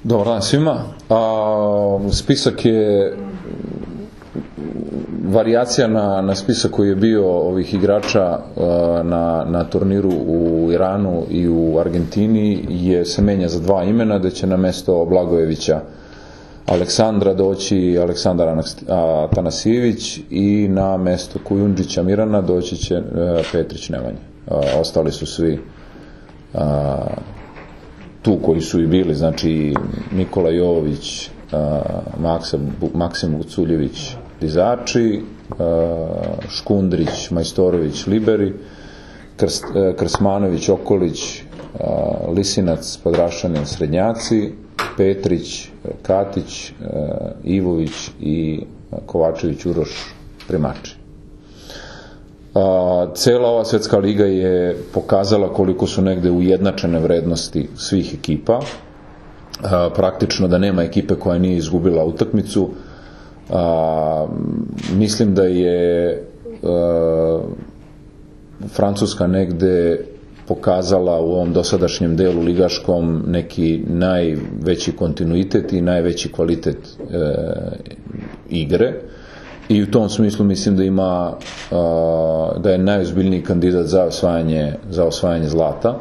Dobar dan svima. Spisak je varijacija na spisak koji je bio ovih igrača na turniru u Iranu i u Argentini se menja za dva imena, da će na mesto Blagojevića Aleksandra doći Aleksandar Atanasijević i na mesto Kujundžića Mirana doći će Petrić Nemanja. Ostali su svi tu koji su i bili, znači Nikola Jovović, Maksim Guculjević dizači, Škundrić, Majstorović liberi, Krsmanović, Okolić, Lisinac, Podrašanin srednjaci, Petrić, Katić, Ivović i Kovačević Uroš primači. Cela ova svetska liga je pokazala koliko su negde ujednačene vrednosti svih ekipa, praktično da nema ekipe koja nije izgubila utakmicu. Mislim da je Francuska negde pokazala u ovom dosadašnjem delu ligaškom neki najveći kontinuitet i najveći kvalitet igre, i u tom smislu mislim da je najozbiljniji kandidat za osvajanje zlata.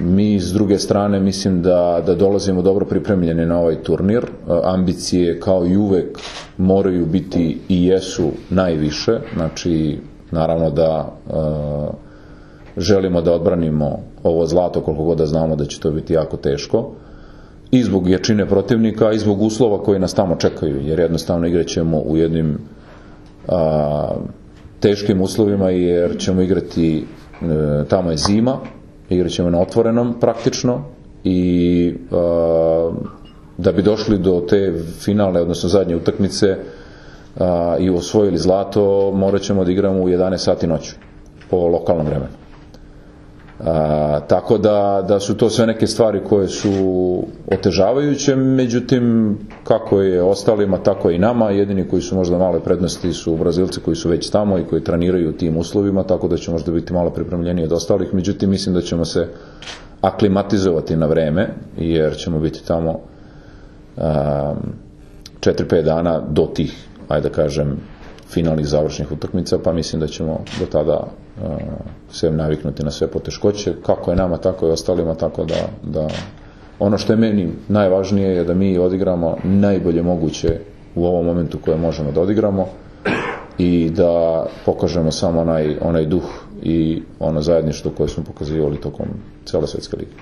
Mi s druge strane mislim da dolazimo dobro pripremljeni na ovaj turnir. Ambicije kao i uvek moraju biti i jesu najviše, znači naravno da želimo da odbranimo ovo zlato koliko god da znamo da će to biti jako teško, i zbog jačine protivnika i zbog uslova koji nas tamo čekaju, jer jednostavno igraćemo u jednim teškim uslovima, jer ćemo igrati, tamo je zima, igrat ćemo na otvorenom praktično, i da bi došli do te finalne, odnosno zadnje utakmice i osvojili zlato, morat ćemo da igramo u 11 sati noću po lokalnom vremenu. Tako da su to sve neke stvari koje su otežavajuće, međutim kako je ostalima tako i nama. Jedini koji su možda male prednosti su Brazilci koji su već tamo i koji treniraju u tim uslovima, tako da će možda biti malo pripremljeniji od ostalih, međutim mislim da ćemo se aklimatizovati na vreme, jer ćemo biti tamo 4-5 dana do tih, ajde da kažem, finalnih završnih utakmica, pa mislim da ćemo do tada se naviknuti na sve poteškoće, kako je nama, tako i ostalima, tako da ono što je meni najvažnije je da mi odigramo najbolje moguće u ovom momentu koje možemo da odigramo i da pokažemo samo onaj duh i ono zajedništvo koje smo pokazivali tokom cele svetske lige.